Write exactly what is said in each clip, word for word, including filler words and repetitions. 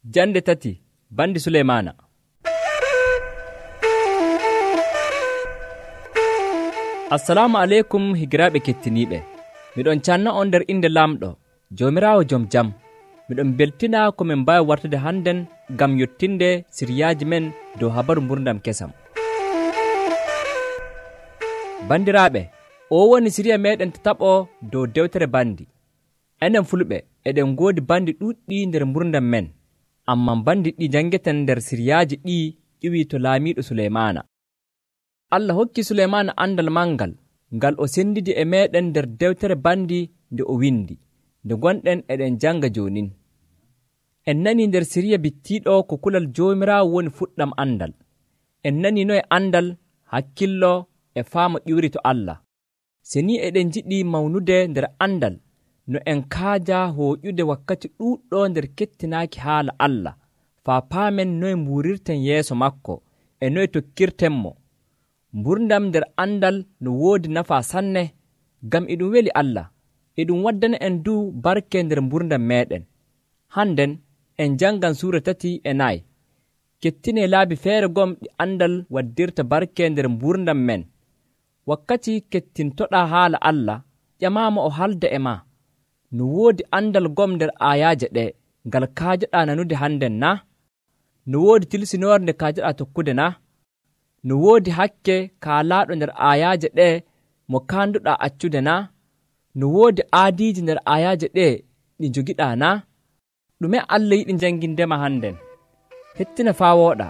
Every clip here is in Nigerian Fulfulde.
Jande tati bandi Suleymaana. Assalamu aleykum higiraaɓe kettiniiɓe. Miɗon canna on nder inde Laamɗo, Joomiraawo jom jam. Miɗon beltina ko min mbaawi wartude hannden ngam yottinde siriyaaji men dow habaru mburdam kesam. Bandiraaɓe, o woni siriya meeɗen tataɓo dow dewtere bandi. Enen fulɓe eɗen ngoodi bandi ɗuuɗɗi nder mburdam men, amman bandi ɗi janngeten nder siriyaaji ɗi ƴiwii to laamiiɗo Suleymaana. Allah hokki Suleymaana andal mangal ngal o sendidi e meeɗen nder dewtere bandi nde o windi, nde gonɗen eɗen janga jonin. En nani nder siriya bittiiɗo ko kulal Joomiraawo woni fuɗɗam andal. En nani noye andal, hakkillo e faama ƴiwri to Allah. Se ni eɗen jiɗi mawnude nder andal, no en kaaja hooƴude wakkati ɗuuɗɗo nder kettinaaki haala Allah, faa paamen noye mbuurirten yeeso makko e noye tokkirtenmo. Mburdam nder andal no woodi nafaa sanne, ngam e ɗum weli Allah, e ɗum waddana en du barke nder mburdam meeɗen. Hannden en jangan suura tati e nayi. Kettine laabi feere gom ɗi andal waddirta barke nder mburdam men. Wakkati kettintoɗaa haala Allah, ƴamaama o halda e maa. No woodi andal gom nder aayaaje ɗe ngal kaajoɗaa nanude hannden na? No woodi tilsinoore nde kaajoɗaa tokkude na? No woodi hakke kaalaaɗo nder aayaaje ɗe mo kaanduɗaa accude na? No woodi aadiiji nder aayaaje ɗe ɗi njogiɗaa na? Ɗume Allah yiɗi janngindema hannden? Hettina faa wooɗa.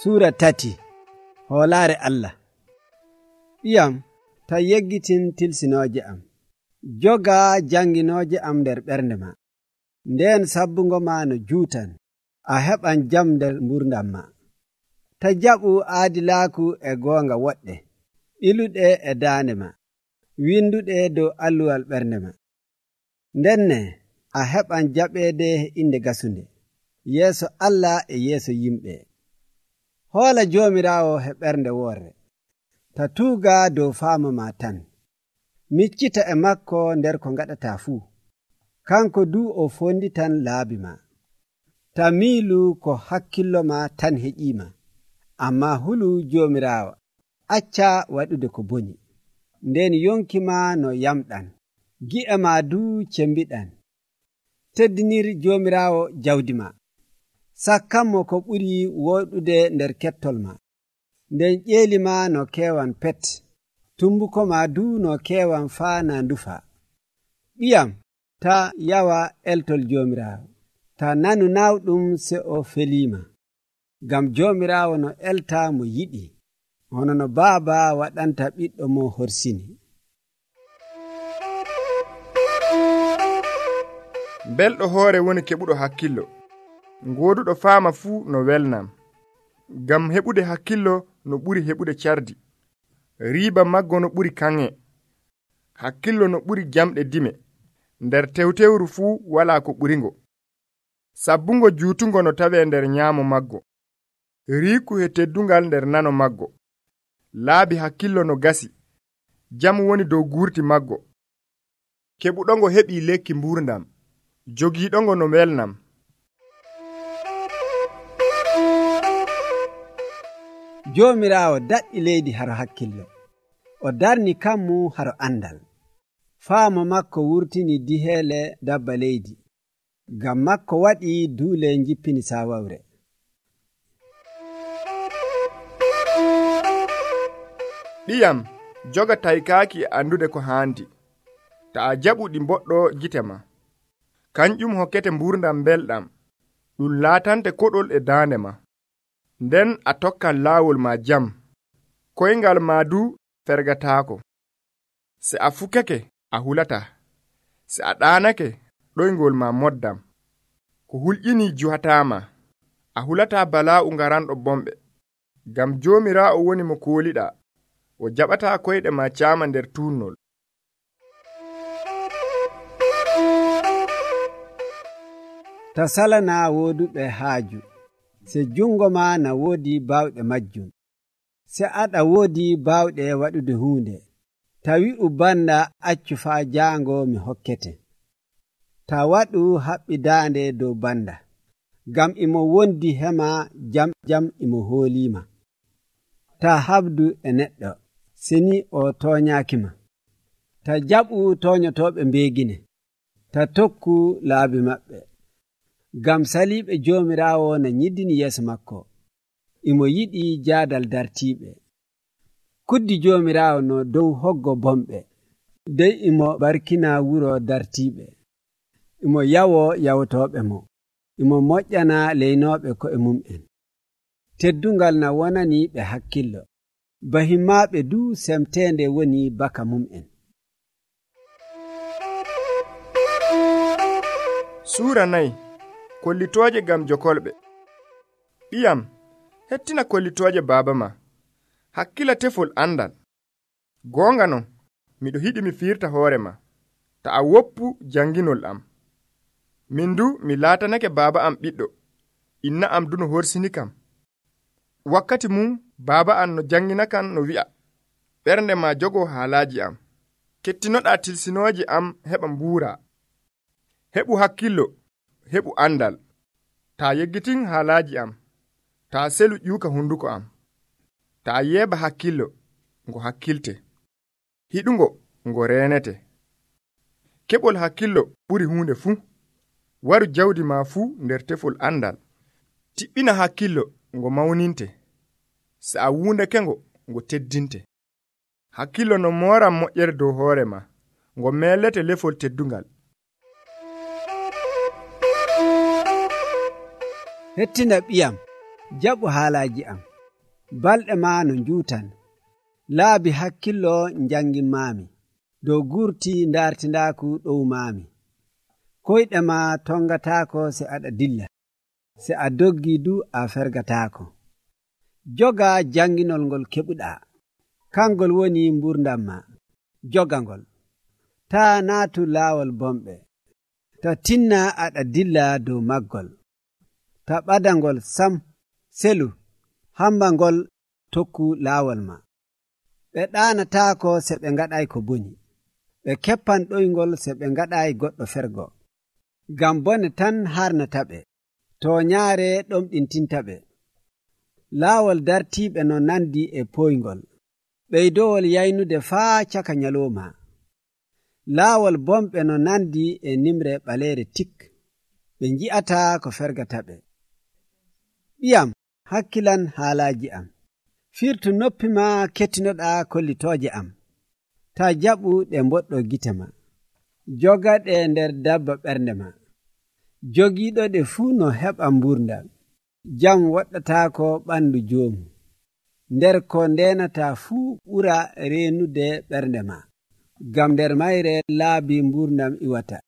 Suura tati hoolaare Allah. Ɓiyam, ta yeggitin tilsinooje am. Jogaa janginooje am nder ɓernde ma. Ndeen sabbungo ma no juutan, a heɓan jam nder mburdam ma. Ta jaɓu aadilaaku e goonga woɗɗe, ɓiluɗe e daande ma, winduɗe dow alluwal ɓernde ma. Ndenne a heɓan jaɓeede inde gasunde, yeeso Allah e yeeso yimɓe. Hoola Joomiraawo he ɓernde woore, ta tuuga dow faama ma tan. Miccita e makko nder ko ngaɗataa fuu. Kanko du o fonditan laabi ma. Ta miilu ko hakkillo ma tan heƴiima, amma hulu Joomiraawo, acca waɗude ko boni. Nden yonki ma no yamɗan, gi'e ma du cembiɗan. Teddinir Joomiraawo jawdi ma. Sakkanmo ko ɓuri woɗude nder kettol ma. Nden ƴeeli ma no keewan pet, tumbuko ma du no keewan faa na ndufa. Ɓiyam, ta yawa eltol Joomiraawo, ta nanu nawɗum se o feliima. Ngam Joomiraawo no elta mo yiɗi, hono no baaba waɗanta ɓiɗɗo mo horsini. Belɗo hoore woni keɓuɗo hakkillo. Ngooduɗo faama fuu no welnam. Ngam heɓude hakkillo no ɓuri heɓude cardi. Riiba maggo no ɓuri kanŋe. Hakkillo no ɓuri jamɗe dime. Nder tewtewru fuu walaa ko ɓuringo. Sabbungo juutungo no tawee nder nyaamo maggo. Riiku he teddungal nder nano maggo. Laabi hakkillo no gasi. Jam woni dow guurti maggo. Keɓuɗongo heɓii lekki mburdam. Jogiiɗongo no welnam. Joomiraawo daɗɗi leydi haro hakkillo. O darni kammu haro andal. Faama makko wurtini diheele dabba leydi. Ngam makko waɗi duule jippini saawawre. Ɗiyam, joga taykaaki e andude ko haandi. Ta a jaɓu ɗi mboɗɗo gite ma. Kanƴum hokkete mburdam belɗam. Ɗum laatante koɗol e daande ma. Nden a tokkan laawol ma jam. Koyngal ma du fergataako. Se a fukake, a hulata. Se a ɗaanake, ɗoyngol ma moddam. Ko hulƴini juhataama. A hulata balaa'u ngaranɗo bomɓe. Ngam Joomiraawo woni mo kooliɗaa. O jaɓataa koyɗe ma caama nder tuunnol. Ta salana wooduɓe haaju. Se jungo ma na woodi baawɗe majjum. Se aɗa woodi baawɗe waɗude huunde. Ta wi'u banda accu faa jaango mi hokkete. Ta waɗu haɓɓi daande dow banda, ngam imo wondi hema jam jam imo hooliima. Ta habdu e neɗɗo, seni o toonyaakima. Ta jaɓu toonyotooɓe mbeegine. Ta tokku laabi maɓɓe. Ngam saliiɓe Joomiraawo na nyiddini yeeso makko. Imo yiɗi jaadal dartiiɓe. Kuddi Joomiraawo no dow hoggo bomɓe. Dey imo barkina wuro dartiiɓe. Imo yawo yawtooɓe mo. Imo moƴƴana leynooɓe ko'e mum'en. Teddungal na wonani ɓe hakkillo. Bahimmaaɓe du semteende woni baka mum'en. Suura nayi kollitooje gam jokolɓe. Ɓiyam, hettina kollitooje baaba ma. Hakkila tefol andal. Goonga non, miɗo hiɗi mi firta hoore ma. Ta a woppu janginol am. Min du mi laatanake baaba am ɓiɗɗo. Inna am du no horsini kam. Wakkati mum baaba am no jangina kam no wi'a. Ɓernde ma jogo haalaaji am. Kettinoɗa tilsinooji am heɓa mbuura. Heɓu hakkillo, heɓu andal. Ta yeggitin haalaaji am. Ta selu ƴuuka hunduko am. Ta yeeba hakkillo, ngo hakkilte. Hiɗungo, ngo reenete. Keɓol hakkillo ɓuri huunde fuu. Waru jawdi ma fuu nder tefol andal. Tiɓɓina hakkillo, ngo mawninte. Se a wuundake ngo, ngo teddinte. Hakkillo no mooran moƴƴere dow hoore ma, ngo meellete lefol teddungal. Hettina ɓiyam, jaɓu haalaaji am. Balɗe ma no njuutan. Laabi hakkillo njangimmaami. Dow gurti ndartindaaku ɗowmaami. Koyɗe ma tongataako se aɗa dilla. Se a doggi du a fergataako. Joga janginol ngol keɓuɗaa. Kangol woni mburdam ma. Joga ngol. Ta naatu laawol bomɓe. Ta tinna aɗa dilla dow maggol. Ta ɓadangol sam. Selu. Hamba ngol tokku laawol ma. Ɓe ɗaanataako se ɓe ngaɗay ko boni. Ɓe keppan ɗoyngol se ɓe ngaɗay goɗɗo fergo. Ngam bone tan harnata ɓe. To nyaare ɗomɗintinta ɓe. Laawol dartiiɓe no nandi e poyngol. Ɓeydowol yaynude faa caka nyalooma. Laawol bomɓe no nandi e nimre ɓaleere tik. Ɓe nji'ata ko fergata ɓe. Ɓiyam, hakkilan haalaaji am. Firtu noppi ma kettinoɗaa kollitooje am. Ta jaɓu ɗe mboɗɗo gite ma. Jogaɗe nder dabba ɓernde ma. Jogiiɗo ɗe fuu no heɓa mburdam. Jam waɗɗataako ɓandu joomu. Nder ko ndenata fuu ɓura reenude ɓernde ma. Gam nder mayre laabi mburdam iwata.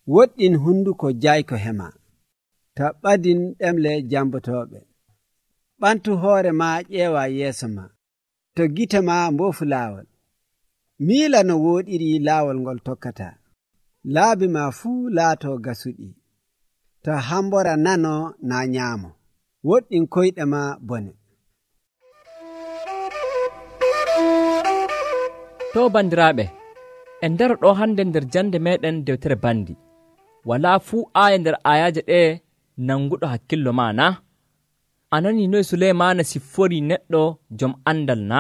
Woɗɗin hunduko jayko hema. Ta ɓadin ɗemle jambotooɓe. Ɓantu hoore ma ƴeewa yeeso ma. To gite ma mboofu laawol. Miila no wooɗiri laawol ngol tokkata. Laabi ma fuu laato gasuɗi. To hambora nano na nyaamo. Woɗɗin koyɗe ma bone. To bandiraaɓe, en ndaro ɗo hande nder jande meɗen dewtere bandi. Walaa fuu aaya nder aayaaje ɗe nanguɗo hakkillo ma na? A nani noy Suleymana siffori neɗɗo jom andal na?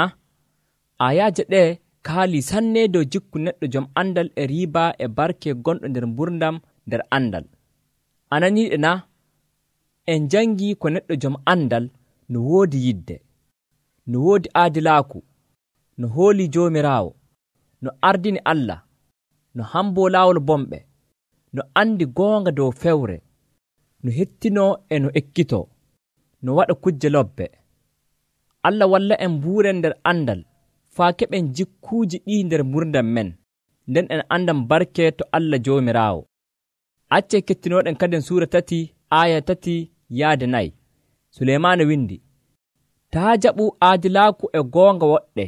Aayaaje ɗe kaali sanne dow jikku neɗɗo jom andal e riiba e barke gonɗo nder mburdam nder andal. A naniɗe na? En jangi ko neɗɗo jom andal no woodi yidde, no woodi aadilaaku, no hooli Joomiraawo, no ardini Allah, no hambo laawol bomɓe, no andi goonga dow fewre, no hettino e no ekkito, no waɗa kujje lobbe. Allah walla en mbuuren nder andal faa keɓen jikkuuji ɗi nder mburdam men, nden en andan barke to Allah Joomiraawo. Acce kettinoɗen kaden suura tati aya tati yaade nayi. Suleymana windi, taa jaɓu aadilaaku e goonga woɗɗe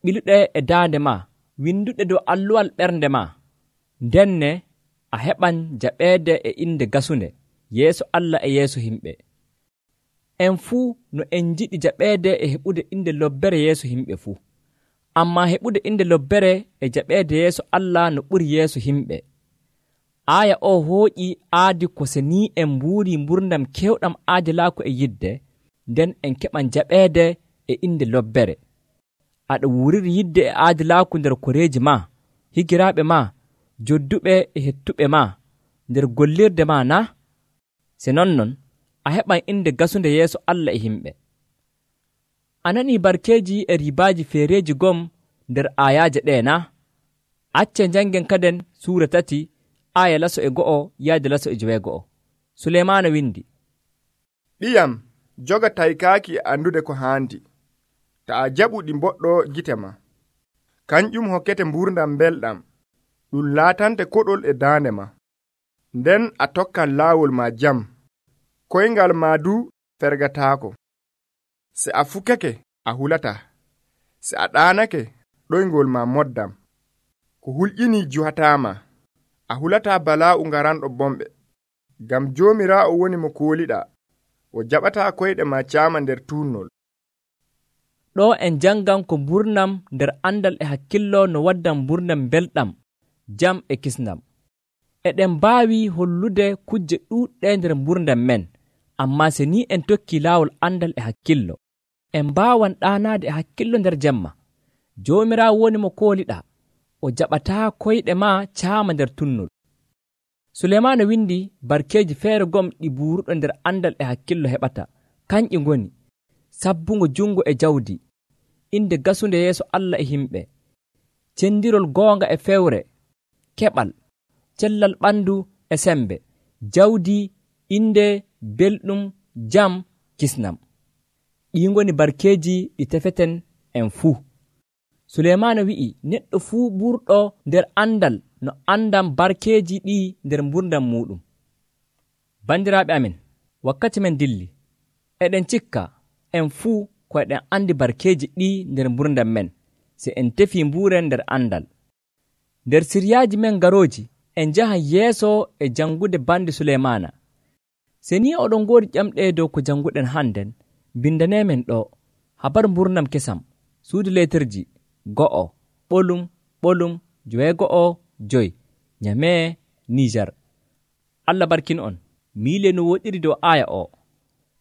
ɓiluɗe e daande ma, winduɗe dow alluwal ɓernde ma. Ndenne a heɓan jaɓeede e inde gasunde yeeso Allah e yeeso himɓe. En fuu no en jiɗi jaɓeede e heɓude inde lobbere yeeso himɓe fuu. ammaa heɓude inde lobbere e jaɓeede yeeso Allah no ɓuri yeeso himɓe. Aaya o hooƴii aadi ko se ni en mbuuri mburdam kewɗam aadilaaku e yidde, nden en keɓan jaɓeede e inde lobbere. Aɗa wuuriri yidde e aadilaaku nder koreeji maa, higiraaɓe maa, jodduɓe e hettuɓe maa, nder gollirde maa na? Se non non, a heɓan inde gasunde yeeso Allah e himɓe. A nanii barkeeji e ribaaji feereeji gom nder aayaaje ɗee na? Acce janngen kaden suura tati aaya laso e go'o yaade laso e joweego'o. Suleymaana windi: ɗiyam joga taykaaki e andude ko haandi, ta a jaɓuɗi mboɗɗo gite ma. Kanƴum hokkete mburdam belɗam, ɗum laatante koɗol e daande ma. Nden a tokkan laawol ma jam, koyngal ma du fergataako. Se a fukake a hulata, se a ɗaanake ɗoyngol ma moddam. Ko hulƴini juhataama, a hulata balaa'u ngaranɗo bomɓe. Ngam Joomiraawo woni mo kooliɗa, o jaɓataa koyɗe ma caama nder tuunnol. Ɗo en jangan ko mburnam nder andal e hakkillo no waddan mburnam belɗam, jam e kisnam. Eɗen mbaawi hollude kujje ɗuuɗɗe nder mburdam men, ammaa se ni en tokki laawol andal e hakkillo, en mbaawan ɗaanaade e hakkillo nder jemma. Joomiraawo woni mo kooliɗa, o jaɓataa koyɗe ma caama nder tunnol. Suleymaana windi barkeeji feere gom ɗi buuruɗo nder andal e hakkillo heɓata, kanƴi ngoni: sabbungo jungo e jawdi, inde gasunde yeeso Allah e himɓe, cendirol goonga e fewre, keɓal, cellal ɓandu e sembe, jawdi, inde, belɗum, jam, kisnam. Ɗi ngoni barkeeji ɗi tefeten en fuu. Suleymaana wi'i neɗɗo fuu ɓurɗo nder andal no andam barkeeji ɗi nder mburdam muɗum. Bandiraaɓe amin, wakkati men dilli, eɗen cikka en fuu ko eɗen andi barkeeji ɗi nder mburdam men, se en tefi mburen nder andal. Nder siryaaji men garooji en jahan yeeso e jangude bandi Suleymaana. Se ni oɗon ngoodi ƴamɗe dow ko janguɗen hannden, bindanemen ɗo habaru mburnam kesam, suudu leeterji go'o ɓolum ɓolum joweego'o joyi, Nyame, Nijar. Allah barkin on. Miile no woɗiri dow aaya o: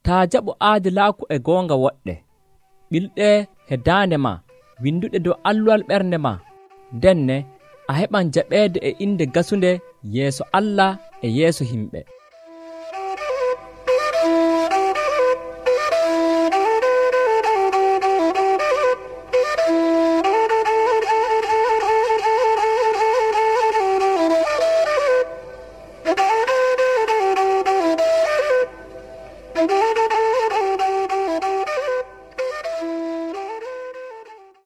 taa jaɓu aadilaaku e goonga woɗɗe, ɓilɗe he daande ma, winduɗe dow alluwal ɓernde ma, denne a heɓan jaɓeede e inde gasunde yeeso Allah e yeeso himɓe. Thank you.